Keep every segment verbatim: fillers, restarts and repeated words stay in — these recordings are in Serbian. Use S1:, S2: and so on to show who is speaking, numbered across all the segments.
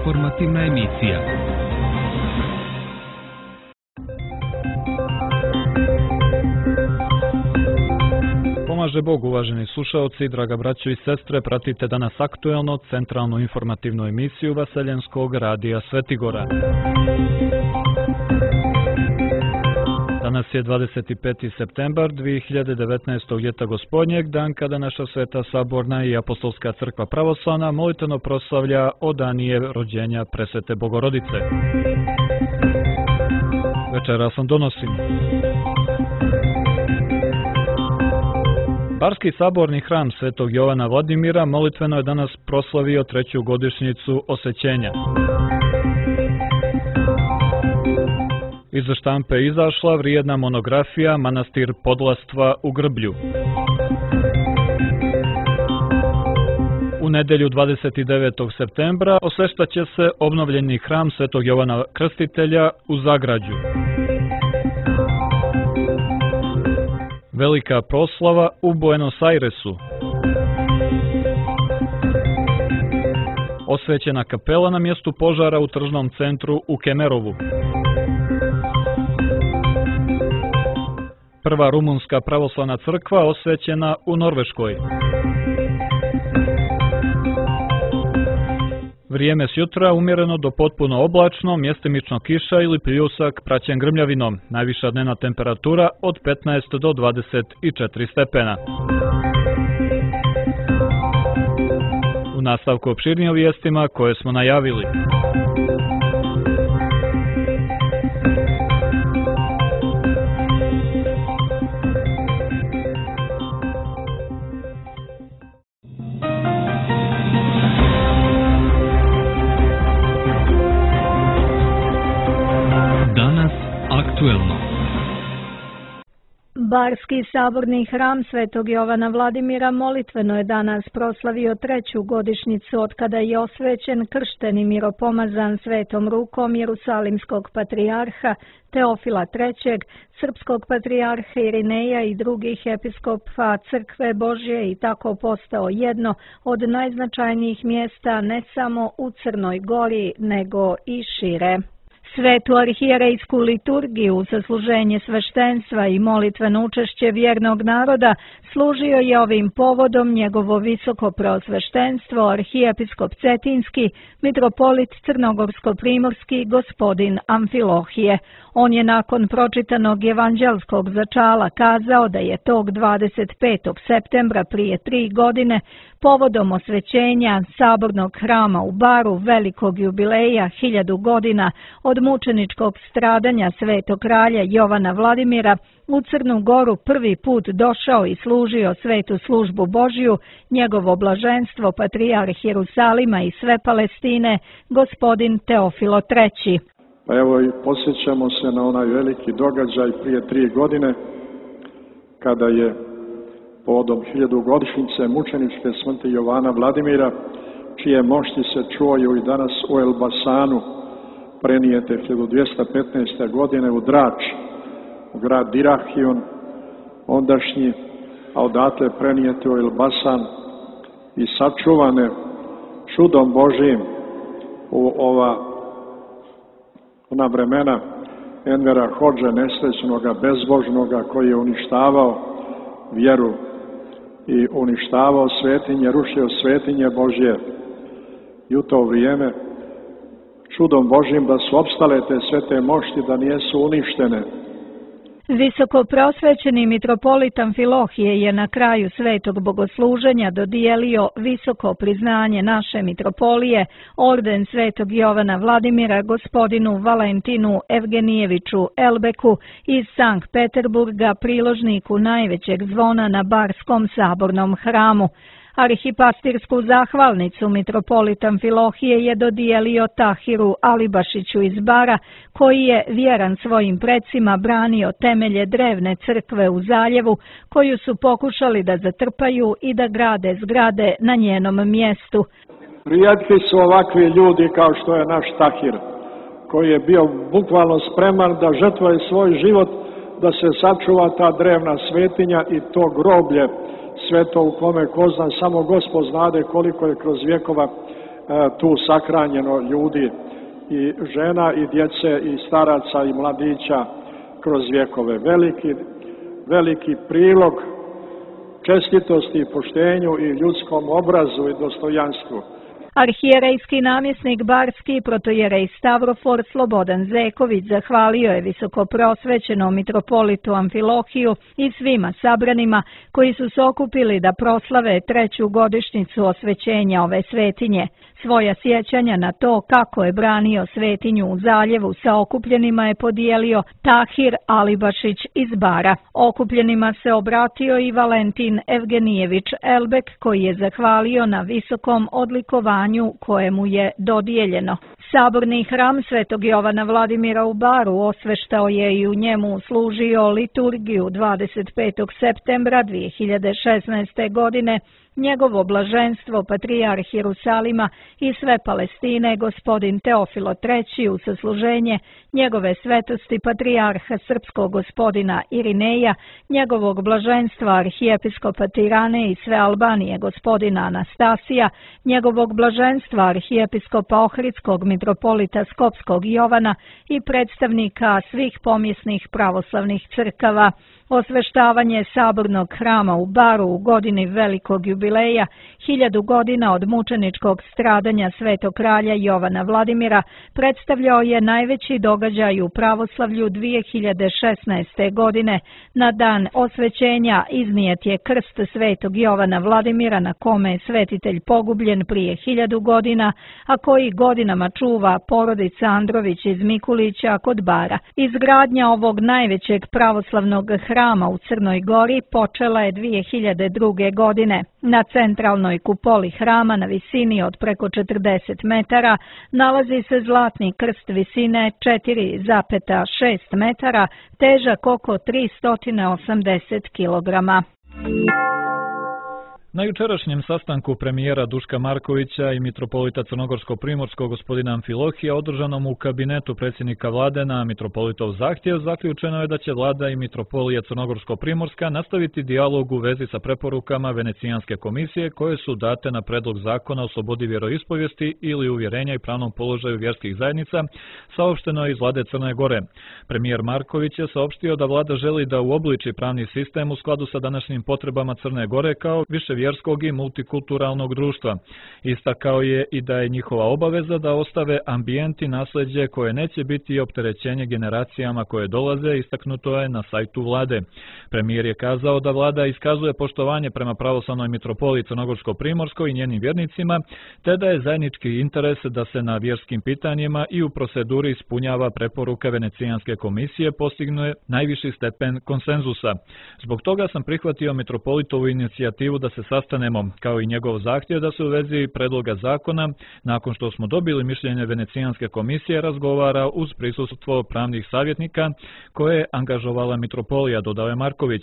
S1: informativna emisija. Pomaže Bog, uvaženi slušaoci, draga braćo i sestre, pratite danas aktuelno centralnu informativnu emisiju Vaseljenskog radija Svetigora. Danas je dvadeset peti septembar dvije hiljade devetnaestog. ljeta gospodnjeg, dan kada naša Sveta Saborna i Apostolska crkva pravoslavna molitveno proslavlja odanije rođenja Presvete Bogorodice. Večeras vam donosim. Barski saborni hram Svetog Jovana Vladimira molitveno je danas proslavio treću godišnjicu osvećenja. Iz štampe je izašla vrijedna monografija Manastir Podlastva u Grblju. U nedelju dvadeset devetog septembra osveštaće se obnovljeni hram Svetog Jovana Krstitelja u Zagrađu. Velika proslava u Buenos Airesu. Osvećena kapela na mjestu požara u tržnom centru u Kemerovu. Prva rumunska pravoslavna crkva osvećena u Norveškoj. Vrijeme s jutra umjereno do potpuno oblačno, mjestimično kiša ili pljusak praćen grmljavinom. Najviša dnevna temperatura od petnaest do dvadeset četiri stepena. U nastavku opširnije o vijestima koje smo najavili.
S2: Barski saborni hram Svetog Jovana Vladimira molitveno je danas proslavio treću godišnjicu od kada je osvećen, kršten i miropomazan svetom rukom Jerusalimskog patrijarha Teofila trećeg, srpskog patrijarha Irineja i drugih episkopa Crkve Božje i tako postao jedno od najznačajnijih mjesta ne samo u Crnoj Gori, nego i šire. Svetu arhijerejsku liturgiju za služenje sveštenstva i molitveno učešće vjernog naroda služio je ovim povodom njegovo visoko preosveštenstvo arhijepiskop Cetinski, mitropolit Crnogorsko-primorski gospodin Amfilohije. On je nakon pročitanog evanđelskog začala kazao da je tog dvadeset petog septembra prije tri godine povodom osvećenja sabornog hrama u Baru velikog jubileja hiljadu godina od mučeničkog stradanja svetog kralja Jovana Vladimira u Crnu Goru prvi put došao i služio svetu službu Božju njegovo blaženstvo patrijarh Jerusalima i sve Palestine, gospodin Teofilo treći.
S3: Pa evo i posjećamo se na onaj veliki događaj prije tri godine kada je povodom hiljadugodišnjice mučeničke smrti Jovana Vladimira, čije mošti se čuju i danas u Elbasanu, prenijete hiljadu dvjesto petnaeste. godine u Drač, u grad Dirahion, ondašnji, a odatle prenijete u Elbasan i sačuvane čudom Božijim u ova ona vremena Envera Hodže, nesrećnoga, bezbožnoga, koji je uništavao vjeru i uništavao svetinje, rušio svetinje Božje. I u to vrijeme čudom Božjim da su opstale te svete mošti, da nijesu uništene.
S2: Visoko prosvećeni mitropolit Amfilohije je na kraju svetog bogosluženja dodijelio visoko priznanje naše mitropolije, orden Svetog Jovana Vladimira gospodinu Valentinu Evgenijeviću Elbeku iz Sankt Peterburga, priložniku najvećeg zvona na Barskom sabornom hramu. Arhipastirsku zahvalnicu mitropolit Amfilohije je dodijelio Tahiru Alibašiću iz Bara, koji je vjeran svojim precima branio temelje drevne crkve u Zaljevu, koju su pokušali da zatrpaju i da grade zgrade na njenom mjestu.
S3: Rijetki su ovakvi ljudi kao što je naš Tahir, koji je bio bukvalno spreman da žrtvuje svoj život da se sačuva ta drevna svetinja i to groblje sveto u kome ko zna, samo Gospod znade koliko je kroz vjekova tu sakranjeno ljudi i žena i djece i staraca i mladića kroz vjekove. Veliki, veliki prilog čestitosti i poštenju i ljudskom obrazu i dostojanstvu.
S2: Arhijerejski namjesnik Barski, protojerej Stavrofor Slobodan Zeković zahvalio je visokoprosvećenom mitropolitu Amfilohiju i svima sabranima koji su se okupili da proslave treću godišnjicu osvećenja ove svetinje. Svoja sjećanja na to kako je branio svetinju u zaljevu sa okupljenima je podijelio Tahir Alibašić iz Bara. Okupljenima se obratio i Valentin Evgenijević Elbek koji je zahvalio na visokom odlikovanju kojemu je dodijeljeno. Saborni hram Svetog Jovana Vladimira u Baru osveštao je i u njemu služio liturgiju dvadeset petog septembra dvije hiljade šesnaeste. godine njegovo blaženstvo patrijarh Jerusalima i sve Palestine gospodin Teofilo treći u sasluženje njegove svetosti patrijarha srpskog gospodina Irineja, njegovog blaženstva arhijepiskopa Tirane i sve Albanije gospodina Anastasija, njegovog blaženstva arhijepiskopa Ohridskog mitropolita Skopskog Jovana i predstavnika svih pomjesnih pravoslavnih crkava. Osveštavanje sabornog hrama u Baru u godini velikog jubileja, hiljadu godina od mučeničkog stradanja svetog kralja Jovana Vladimira, predstavljao je najveći događaj u pravoslavlju dvije hiljade šesnaeste. godine. Na dan osvećenja iznijet je krst svetog Jovana Vladimira na kome je svetitelj pogubljen prije hiljadu godina, a koji godinama čuva porodica Andrović iz Mikulića kod Bara. Izgradnja ovog najvećeg pravoslavnog hrama u Crnoj Gori počela je dvije hiljade druge. godine. Na centralnoj kupoli hrama na visini od preko četrdeset metara nalazi se zlatni krst visine četiri zarez šest metara, težak oko tristo osamdeset kilograma.
S1: Na jučerašnjem sastanku premijera Duška Markovića i mitropolita Crnogorsko-primorskog gospodina Amfilohija održanom u kabinetu predsjednika vlade na mitropolitov zahtjev zaključeno je da će vlada i mitropolija Crnogorsko-primorska nastaviti dijalog u vezi sa preporukama Venecijanske komisije koje su date na predlog zakona o slobodi vjeroispovijesti ili uvjerenja i pravnom položaju vjerskih zajednica, saopšteno je iz vlade Crne Gore. Premijer Marković je saopštio da vlada želi da uobliči pravni sistem u skladu sa današnjim potrebama Crne Gore kao više vjerskog i multikulturalnog društva. Istakao je i da je njihova obaveza da ostave ambijent i nasljeđe koje neće biti opterećenje generacijama koje dolaze, istaknuto je na sajtu vlade. Premijer je kazao da vlada iskazuje poštovanje prema pravoslavnoj mitropoliji Crnogorsko-primorskoj i njenim vjernicima, te da je zajednički interes da se na vjerskim pitanjima i u proceduri ispunjava preporuke Venecijanske komisije postigne najviši stepen konsenzusa. Zbog toga sam prihvatio mitropolitovu inicijativu da se sastanemo, kao i njegov zahtjev da se u vezi predloga zakona, nakon što smo dobili mišljenje Venecijanske komisije, razgovara uz prisustvo pravnih savjetnika koje je angažovala mitropolija, dodao je Marković.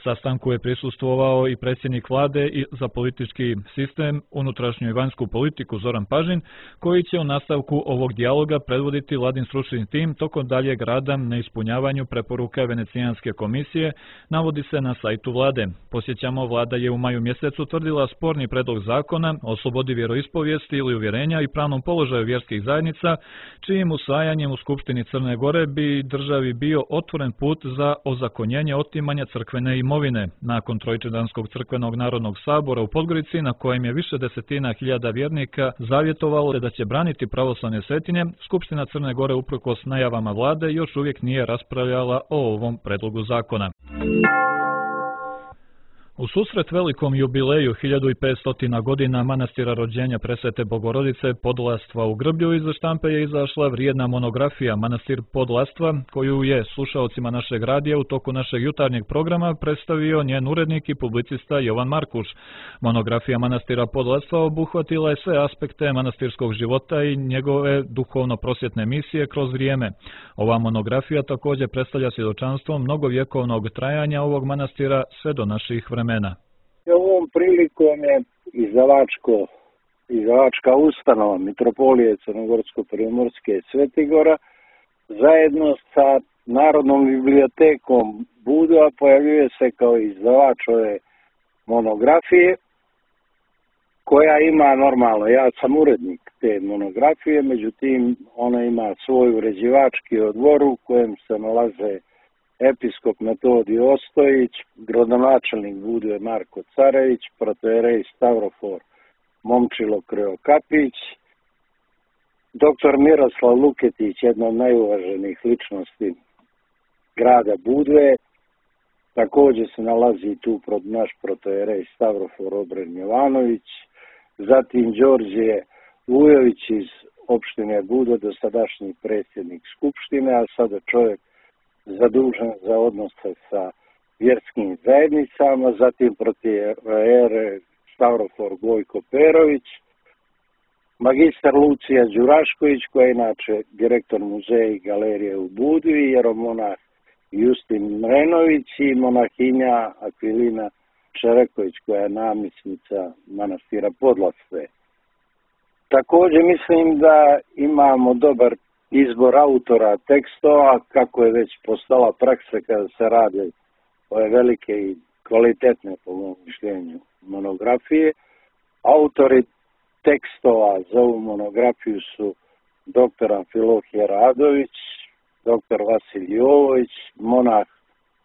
S1: Sastanku je prisustvovao i predsjednik vlade i za politički sistem, unutrašnju i vanjsku politiku Zoran Pažin, koji će u nastavku ovog dijaloga predvoditi vladin stručni tim tokom daljeg rada na ispunjavanju preporuka Venecijanske komisije, navodi se na sajtu vlade. Posjećamo, vlada je u maju mjesecu utvrdila sporni predlog zakona o slobodi vjeroispovijesti ili uvjerenja i pravnom položaju vjerskih zajednica, čijim usvajanjem u Skupštini Crne Gore bi državi bio otvoren put za ozakonjenje otimanja crkvene imovine. Nakon Trojčedanskog crkvenog narodnog sabora u Podgorici, na kojem je više desetina hiljada vjernika zavjetovalo da će braniti pravoslavne svetinje, Skupština Crne Gore uprkos najavama vlade još uvijek nije raspravljala o ovom predlogu zakona. U susret velikom jubileju hiljadu petsto godina manastira rođenja Presvete Bogorodice Podlastva u Grblju iz štampe je izašla vrijedna monografija Manastir Podlastva, koju je slušaocima našeg radija u toku našeg jutarnjeg programa predstavio njen urednik i publicista Jovan Markuš. Monografija Manastira Podlastva obuhvatila je sve aspekte manastirskog života i njegove duhovno-prosvjetne misije kroz vrijeme. Ova monografija također predstavlja svjedočanstvo mnogovjekovnog trajanja ovog manastira sve do naših vremena.
S4: Ovom prilikom je izdavačko, izdavačka ustanova Mitropolije Crnogorsko-primorske Svetigora zajedno sa Narodnom bibliotekom Budva pojavljuje se kao izdavač ove monografije koja ima normalno, ja sam urednik te monografije, međutim ona ima svoj uređivački odbor u kojem se nalaze episkop Metodij Ostojić, gradonačelnik Budve Marko Carević, protojerej Stavrofor Momčilo Krivokapić, doktor Miroslav Luketić, jedna od najuvaženijih ličnosti grada Budve, također se nalazi tu naš protojerej Stavrofor Obren Jovanović, zatim Đorđe Vujović iz opštine Budva, dosadašnji predsjednik Skupštine, a sada čovjek zadužen za odnose sa vjerskim zajednicama, zatim protojerej Stavrofor Gojko Perović, magistar Lucija Đurašković, koja je inače direktor muzeja i galerije u Budvi, jeromonah Justin Mrenović i monahinja Akvilina Čereković, koja je namjesnica manastira Podlasve. Također mislim da imamo dobar izbor autora tekstova, kako je već postala praksa kada se rade ove velike i kvalitetne, po mom mišljenju, monografije. Autori tekstova za ovu monografiju su doktor Amfilohije Radović, doktor Vasilij Jovović, monah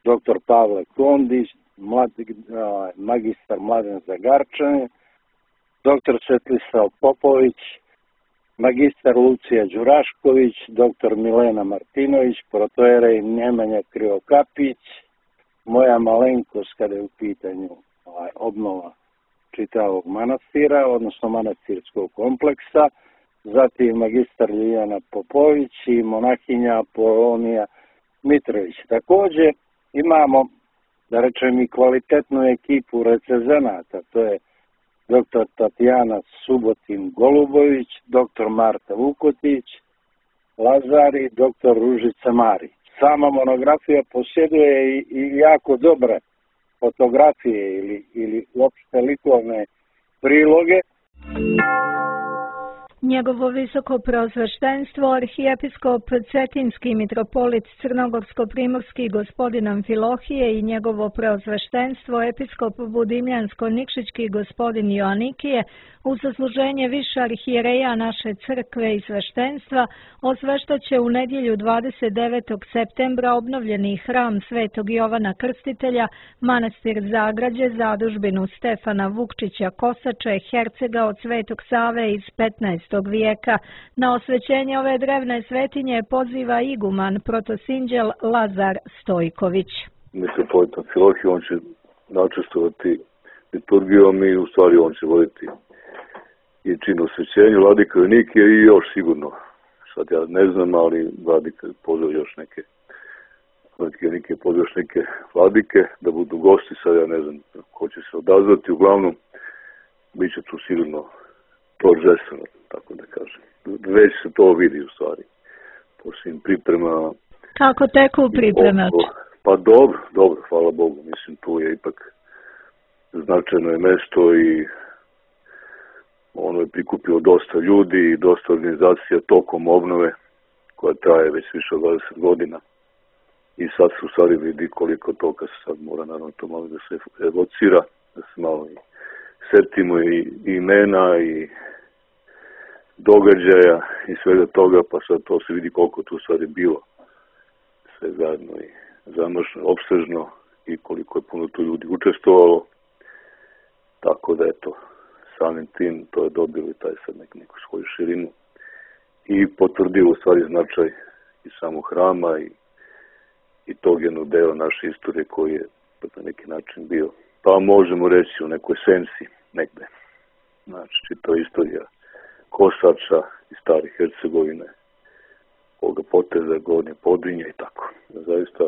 S4: doktor Pavle Kondić, mlad, magistar Mladen Zagarčanin, doktor Svetlislav Popović, magistar Lucija Đurašković, doktor Milena Martinović, protojerej Nemanja Krivokapić, moja malenkost kada je u pitanju ovaj, obnova čitavog manastira, odnosno manastirskog kompleksa, zatim magistar Ljiljana Popović i monahinja Apolonija Mitrović. Također imamo, da rečem, i kvalitetnu ekipu recenzenata, to je doktor Tatjana Subotin Golubović, doktor Marta Vukotić, Lazar i doktor Ružica Marić. Sama monografija posjeduje i, i jako dobre fotografije ili, ili uopšte likovne priloge.
S2: Njegovo visoko preosveštenstvo, arhijepiskop Cetinski mitropolit Crnogorsko-primorski gospodin Amfilohije i njegovo preosveštenstvo, episkop Budimljansko-Nikšićki gospodin Joanikije, u zasluženje više arhijereja naše crkve i sveštenstva, osveštaće u nedjelju dvadeset devetog septembra obnovljeni hram Svetog Jovana Krstitelja, manastir Zagrađe, zadužbinu Stefana Vukčića Kosače, hercega od Svetog Save iz petnaestog vijeka. Na osvećenje ove drevne svetinje poziva iguman protosinđel Lazar Stojković.
S5: Mitropolit Amfilohije, on će načestovati liturgijom i u stvari on će voditi i čin osvećenju, vladika Joanikije i još sigurno, sad ja ne znam, ali vladika pozvao još neke, vladika Joanikije pozvao još neke vladike da budu gosti, sad ja ne znam ko će se odazvati, uglavnom bit će tu sigurno торжествено, tako da kažem. Već se to vidi u stvari po svim pripremama.
S2: Kako teku pripreme?
S5: Pa dobro, dobro, hvala Bogu. Mislim, tu je ipak značajno je mesto i ono je prikupilo dosta ljudi i dosta organizacija tokom obnove koja traje već više od dvadeset godina. I sad se u stvari vidi koliko toga se sad mora naravno to malo da se evocira, da se malo i setimo i imena i događaja i svega toga, pa sad to se vidi koliko tu stvari bilo sve zajedno i zamršno, opsežno i koliko je puno tu ljudi učestvovalo. Tako da eto, samim tim to je dobilo i taj sad nek, neku svoju širinu i potvrdilo u stvari značaj i samog hrama i, i tog jednog dela naše istorije koji je na neki način bio, pa možemo reći u nekoj sensi negde. Znači, to je istorija Kosača i stare Hercegovine, ovoga poteza, Gornje Podrinje i tako. Zaista,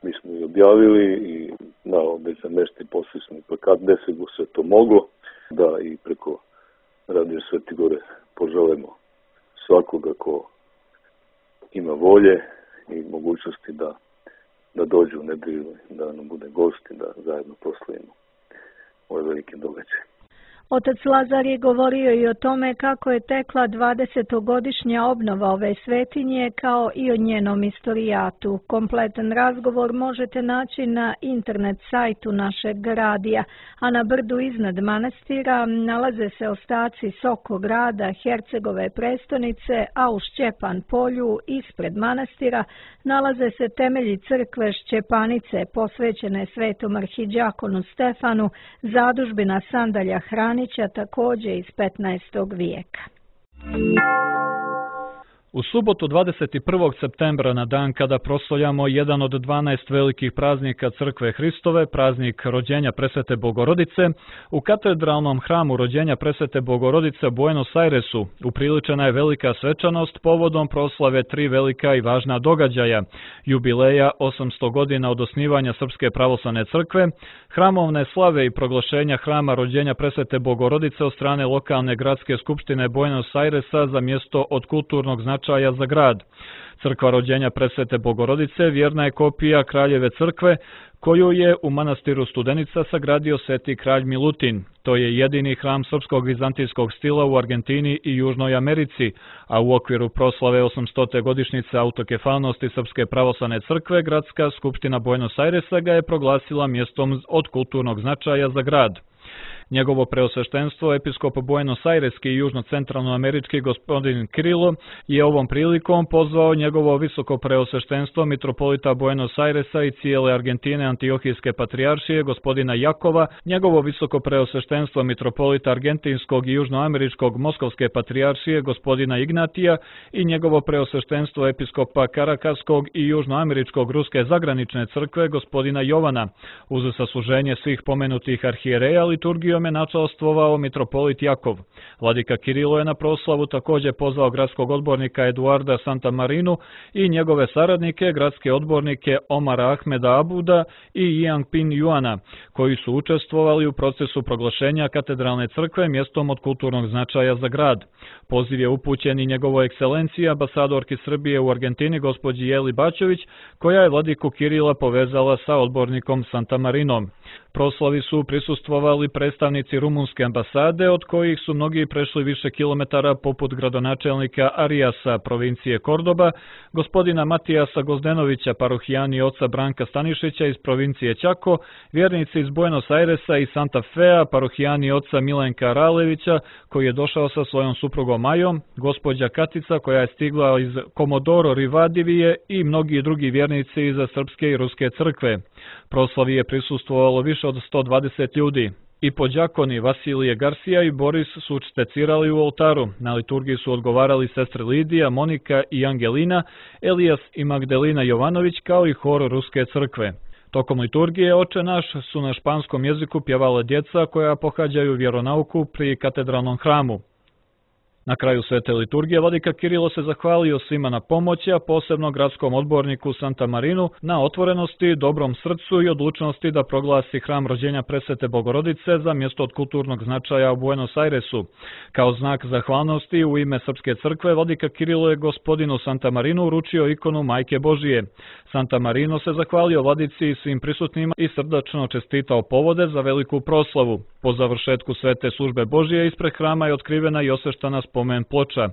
S5: mi smo i objavili i na već za mesti posvećeni plakat gde se sve to moglo, da i preko Radio Svete Gore poželemo svakoga ko ima volje i mogućnosti da, da dođe u nedelju, da nam bude gost i da zajedno proslavimo ove velike događaje.
S2: Otac Lazar je govorio i o tome kako je tekla dvadesetogodišnja obnova ove svetinje kao i o njenom istorijatu. Kompletan razgovor možete naći na internet sajtu našeg radija, a na brdu iznad manastira nalaze se ostaci Soko grada, Hercegove prestonice, a u Šćepan polju ispred manastira nalaze se temelji crkve Šćepanice posvećene svetom arhidžakonu Stefanu, zadužbina Sandalja Hranića također iz petnaestog vijeka.
S1: U subotu dvadeset prvog septembra, na dan kada proslavljamo jedan od dvanaest velikih praznika Crkve Hristove, praznik rođenja Presvete Bogorodice, u katedralnom hramu rođenja Presvete Bogorodice u Buenos Airesu upriličena je velika svečanost povodom proslave tri velika i važna događaja: jubileja osamsto godina od osnivanja Srpske pravoslavne crkve, hramovne slave i proglašenja hrama rođenja Presvete Bogorodice od strane lokalne gradske skupštine Buenos Airesa za mjesto od kulturnog značaja za grad. Crkva rođenja Presvete Bogorodice vjerna je kopija Kraljeve crkve, koju je u manastiru Studenica sagradio sveti kralj Milutin. To je jedini hram srpskog vizantijskog stila u Argentini i Južnoj Americi, a u okviru proslave osamstote godišnjice autokefalnosti Srpske pravoslavne crkve, gradska skupština Buenos Airesa ga je proglasila mjestom od kulturnog značaja za grad. Njegovo preosveštenstvo, episkop Buenos Aireski i južno-centralnoamerički gospodin Kirilo, je ovom prilikom pozvao njegovo visoko preosveštenstvo mitropolita Buenos Airesa i cijele Argentine Antiohijske patrijaršije gospodina Jakova, njegovo visoko preosveštenstvo mitropolita Argentinskog i južnoameričkog Moskovske patrijaršije gospodina Ignatija i njegovo preosveštenstvo episkopa Karakaskog i južnoameričkog Ruske zagranične crkve gospodina Jovana. Uz sasluženje svih pomenutih arhijereja liturgijom je načelstvovao mitropolit Jakov. Vladika Kirilo je na proslavu također pozvao gradskog odbornika Eduarda Santamarinu i njegove saradnike, gradske odbornike Omara Ahmeda Abuda i Yang Pin Juana, koji su učestvovali u procesu proglašenja katedralne crkve mjestom od kulturnog značaja za grad. Poziv je upućen i njegovoj ekscelenciji ambasadorki Srbije u Argentini gospođi Jeli Bačević, koja je vladiku Kirila povezala sa odbornikom Santamarinom. Proslavi su prisustvovali predstavnici rumunske ambasade, od kojih su mnogi prešli više kilometara, poput gradonačelnika Arijasa provincije Kordoba, gospodina Matijasa Gozdenovića, parohijani oca Branka Stanišića iz provincije Čako, vjernici iz Buenos Airesa i Santa Fea, parohijani oca Milenka Ralevića, koji je došao sa svojom suprugom Majom, gospođa Katica, koja je stigla iz Komodoro Rivadivije i mnogi drugi vjernici iz srpske i ruske crkve. Proslavi je prisustvovalo više od sto dvadeset ljudi. I podjakoni Vasilije Garcia i Boris su učtecirali u oltaru. Na liturgiji su odgovarali sestre Lidija, Monika i Angelina, Elijas i Magdalena Jovanović, kao i hor Ruske crkve. Tokom liturgije Oče naš su na španskom jeziku pjevala djeca koja pohađaju vjeronauku pri katedralnom hramu. Na kraju svete liturgije vladika Kirilo se zahvalio svima na pomoći, a posebno gradskom odborniku Santamarinu na otvorenosti, dobrom srcu i odlučnosti da proglasi hram rođenja Presvete Bogorodice za mjesto od kulturnog značaja u Buenos Airesu. Kao znak zahvalnosti u ime Srpske crkve vladika Kirilo je gospodinu Santamarinu uručio ikonu Majke Božije. Santamarino se zahvalio vladici i svim prisutnima i srdačno čestitao povode za veliku proslavu. Po završetku svete službe Božije ispred hrama je otkrivena i osveštana spomen ploča.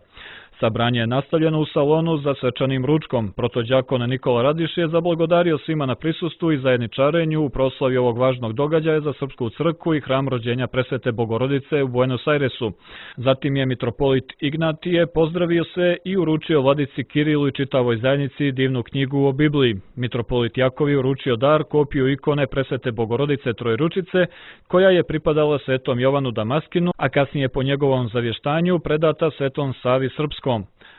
S1: Sabranje je nastavljeno u salonu za svečanim ručkom. Protodjakon Nikola Radiš je zablagodario svima na prisustvu i zajedničarenju u proslavi ovog važnog događaja za Srpsku crkvu i hram rođenja Presvete Bogorodice u Buenos Airesu. Zatim je mitropolit Ignatije pozdravio se i uručio vladici Kirilu i čitavoj zajednici divnu knjigu o Bibliji. Mitropolit Jakov je uručio dar, kopiju ikone Presvete Bogorodice Trojručice, koja je pripadala svetom Jovanu Damaskinu, a kasnije po njegovom zavještanju predata svetom Savi Srpskom.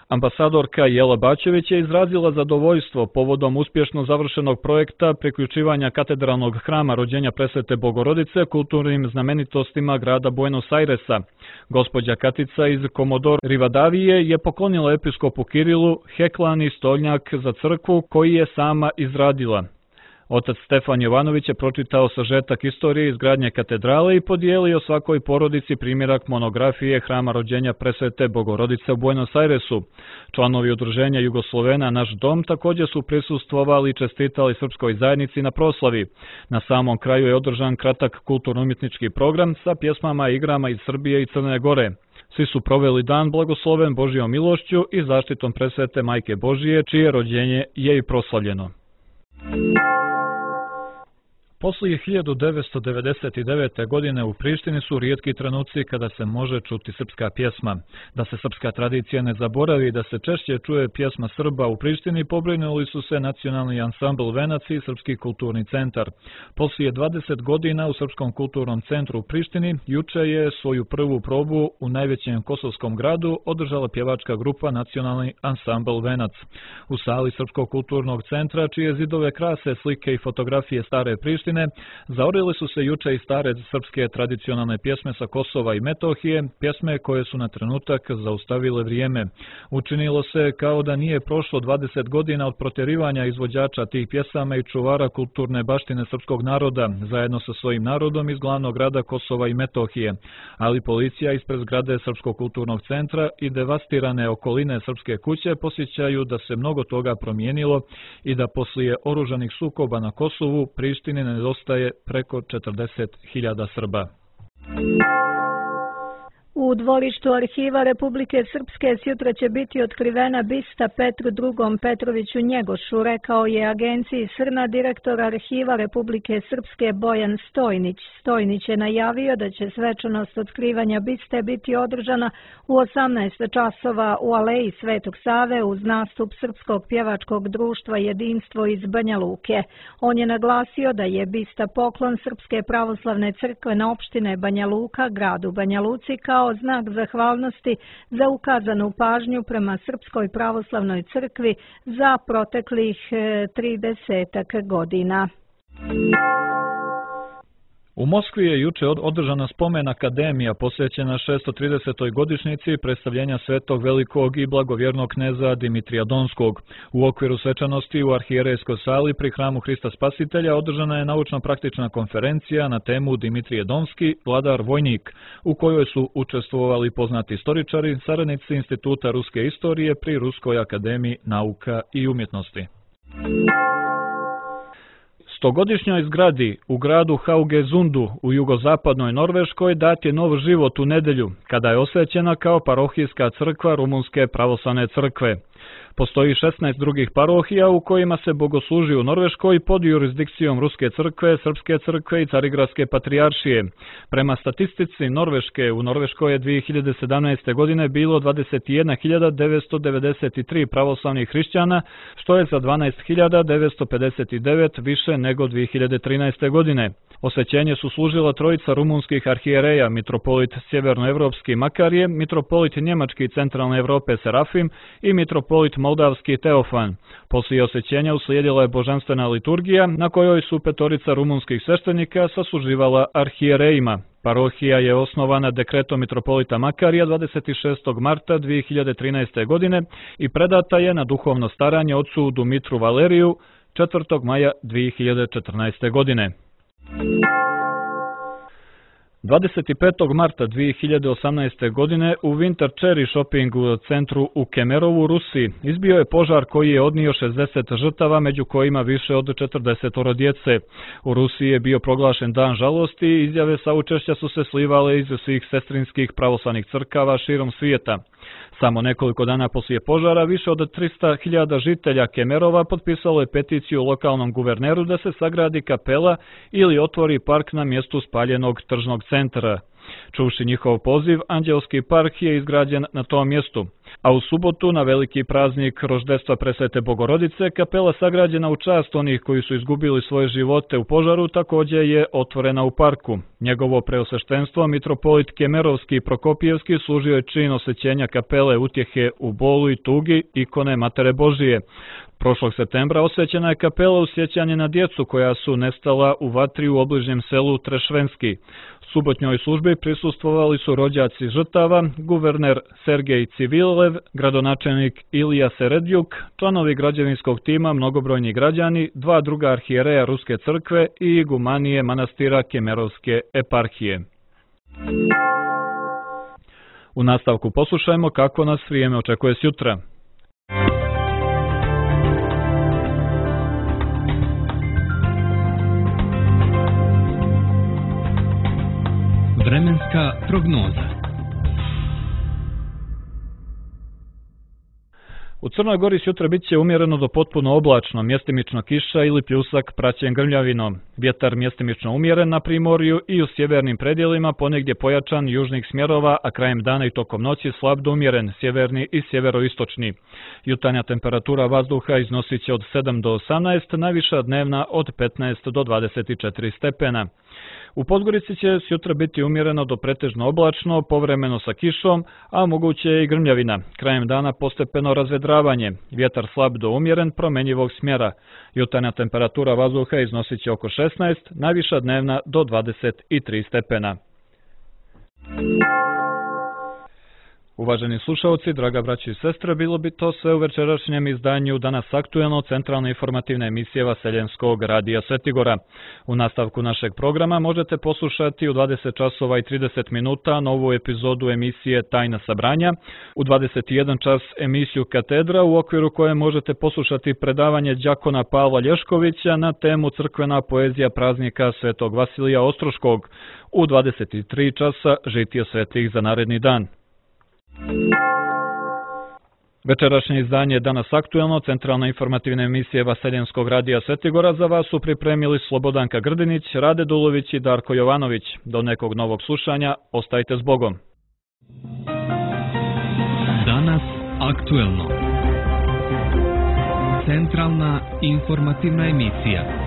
S1: Ambasadorka Jela Bačević je izrazila zadovoljstvo povodom uspješno završenog projekta priključivanja katedralnog hrama rođenja Presvete Bogorodice kulturnim znamenitostima grada Buenos Airesa. Gospođa Katica iz Komodoro Rivadavije je poklonila episkopu Kirilu heklani stolnjak za crkvu koji je sama izradila. Otac Stefan Jovanović je pročitao sažetak istorije izgradnje katedrale i podijelio svakoj porodici primjerak monografije Hrama rođenja Presvete Bogorodice u Buenos Airesu. Članovi udruženja Jugoslovena Naš dom također su prisustvovali i čestitali srpskoj zajednici na proslavi. Na samom kraju je održan kratak kulturno-umjetnički program sa pjesmama i igrama iz Srbije i Crne Gore. Svi su proveli dan blagosloven Božjom milošću i zaštitom Presvete Majke Božije, čije rođenje je i proslavljeno. Poslije hiljadu devetsto devedeset devete. godine u Prištini su rijetki trenuci kada se može čuti srpska pjesma. Da se srpska tradicija ne zaboravi i da se češće čuje pjesma Srba u Prištini, pobrinuli su se Nacionalni ansambl Venac i Srpski kulturni centar. Poslije dvadeset godina u Srpskom kulturnom centru u Prištini juče je svoju prvu probu u najvećem kosovskom gradu održala pjevačka grupa Nacionalni ansambl Venac. U sali Srpskog kulturnog centra, čije zidove krase slike i fotografije stare Prištine, zaorili su se juče i stare srpske tradicionalne pjesme sa Kosova i Metohije, pjesme koje su na trenutak zaustavile vrijeme. Učinilo se kao da nije prošlo dvadeset godina od protjerivanja izvođača tih pjesama i čuvara kulturne baštine srpskog naroda, zajedno sa svojim narodom iz glavnog grada Kosova i Metohije. Ali policija ispred zgrade Srpskog kulturnog centra i devastirane okoline Srpske kuće posjećaju da se mnogo toga promijenilo i da poslije oružanih sukoba na Kosovu Prištini nedostaje preko četrdeset hiljada Srba.
S2: U dvorištu Arhiva Republike Srpske sjutra će biti otkrivena bista Petru drugom Petroviću Njegošu, rekao je agenciji Srna direktor Arhiva Republike Srpske Bojan Stojnić. Stojnić je najavio da će svečanost otkrivanja biste biti održana u osamnaest časova u Aleji Svetog Save uz nastup Srpskog pjevačkog društva Jedinstvo iz Banja Luke. On je naglasio da je bista poklon Srpske pravoslavne crkve na opštine Banja Luka, gradu Banja Luci, kao znak zahvalnosti za ukazanu pažnju prema Srpskoj pravoslavnoj crkvi za proteklih tridesetak godina.
S1: U Moskvi je juče održana spomen akademija posvećena šesto tridesetoj godišnjici predstavljenja svetog velikog i blagovjernog kneza Dimitrija Donskog. U okviru svečanosti u arhijerejskoj sali pri hramu Hrista Spasitelja održana je naučno-praktična konferencija na temu Dimitrije Donski, vladar vojnik, u kojoj su učestvovali poznati istoričari, saradnici Instituta ruske istorije pri Ruskoj akademiji nauka i umjetnosti. Stogodišnjoj zgradi u gradu Haugessundu u jugozapadnoj Norveškoj dat je nov život u nedjelju, kada je osvećena kao parohijska crkva Rumunske pravoslavne crkve. Postoji šesnaest drugih parohija u kojima se bogosluži u Norveškoj pod jurisdikcijom Ruske crkve, Srpske crkve i Carigradske patrijaršije. Prema statistici Norveške, u Norveškoj je dvije hiljade sedamnaeste. godine bilo dvadeset jedna hiljada devetsto devedeset tri pravoslavnih hrišćana, što je za dvanaest hiljada devetsto pedeset devet više nego dvije hiljade trinaeste. godine. Osvećenje su služila trojica rumunskih arhijereja, mitropolit sjevernoevropski Makarije, mitropolit njemački centralne Evrope Serafim i mitropolit moldavski Teofan. Poslije osvećenja uslijedila je božanstvena liturgija na kojoj su petorica rumunskih sveštenika sasluživala arhijerejima. Parohija je osnovana dekretom mitropolita Makarija dvadeset šestog marta dvije hiljade trinaeste. godine i predata je na duhovno staranje ocu Dumitru Valeriju četvrtog maja dvije hiljade četrnaeste. godine. dvadeset petog marta dvije hiljade osamnaeste. godine u Winter Cherry Shopping centru u Kemerovu, Rusiji, izbio je požar koji je odnio šezdeset žrtava, među kojima više od četrdeset djece. U Rusiji je bio proglašen dan žalosti i izjave saučešća su se slivale iz svih sestrinskih pravoslavnih crkava širom svijeta. Samo nekoliko dana poslije požara više od trista hiljada žitelja Kemerova potpisalo je peticiju lokalnom guverneru da se sagradi kapela ili otvori park na mjestu spaljenog tržnog centra. Čuvši njihov poziv, Anđelski park je izgrađen na tom mjestu. A u subotu, na veliki praznik roždestva Presvete Bogorodice, kapela sagrađena u čast onih koji su izgubili svoje živote u požaru također je otvorena u parku. Njegovo preosveštenstvo, mitropolit Kemerovski i Prokopijevski, služio je čin osvećenja kapele utjehe u bolu i tugi ikone Matere Božije. Prošlog septembra osvećena je kapela u sjećanje na djecu koja su nestala u vatri u obližnjem selu Trešvenski. Subotnjoj službi prisustvovali su rođaci žrtava, guverner Sergej Civil, Kolev, gradonačelnik Ilija Seredjuk, članovi građevinskog tima, mnogobrojni građani, dva druga arhijereja Ruske crkve i igumanije manastira Kemerovske eparhije. U nastavku poslušajmo kako nas vrijeme očekuje sjutra.
S6: Vremenska prognoza.
S1: U Crnoj Gori sutra bit će umjereno do potpuno oblačno, mjestimično kiša ili pljusak praćen grmljavinom. Vjetar mjestimično umjeren na primorju i u sjevernim predjelima, ponegdje pojačan južnih smjerova, a krajem dana i tokom noći slab do umjeren, sjeverni i sjeveroistočni. Jutarnja temperatura vazduha iznosit će od sedam do osamnaest, najviša dnevna od petnaest do dvadeset četiri stepena. U Podgorici će sutra biti umjereno do pretežno oblačno, povremeno sa kišom, a moguće je i grmljavina. Krajem dana postepeno razvedravanje, vjetar slab do umjeren, promenjivog smjera. Jutarnja temperatura vazduha iznosit će oko šesnaest, najviša dnevna do dvadeset tri stepena. Uvaženi slušalci, draga braći i sestre, bilo bi to sve u večerašnjem izdanju Danas aktuelno, centralna informativna emisija Vaseljenskog radija Svetigora. U nastavku našeg programa možete poslušati u dvadeset časova i trideset minuta novu epizodu emisije Tajna sabranja, u dvadeset jedan čas emisiju Katedra, u okviru koje možete poslušati predavanje đakona Pavla Lješkovića na temu crkvena poezija praznika Svetog Vasilija Ostroškog, u dvadeset tri časa žitije svetih za naredni dan. Večerašnje izdanje Danas aktuelno, centralna informativna emisija Vaseljenskog radija Svetigora za vas su pripremili Slobodanka Grdinić, Rade Dulović i Darko Jovanović. Do nekog novog slušanja, ostajte s Bogom.
S6: Danas aktuelno. Centralna informativna emisija.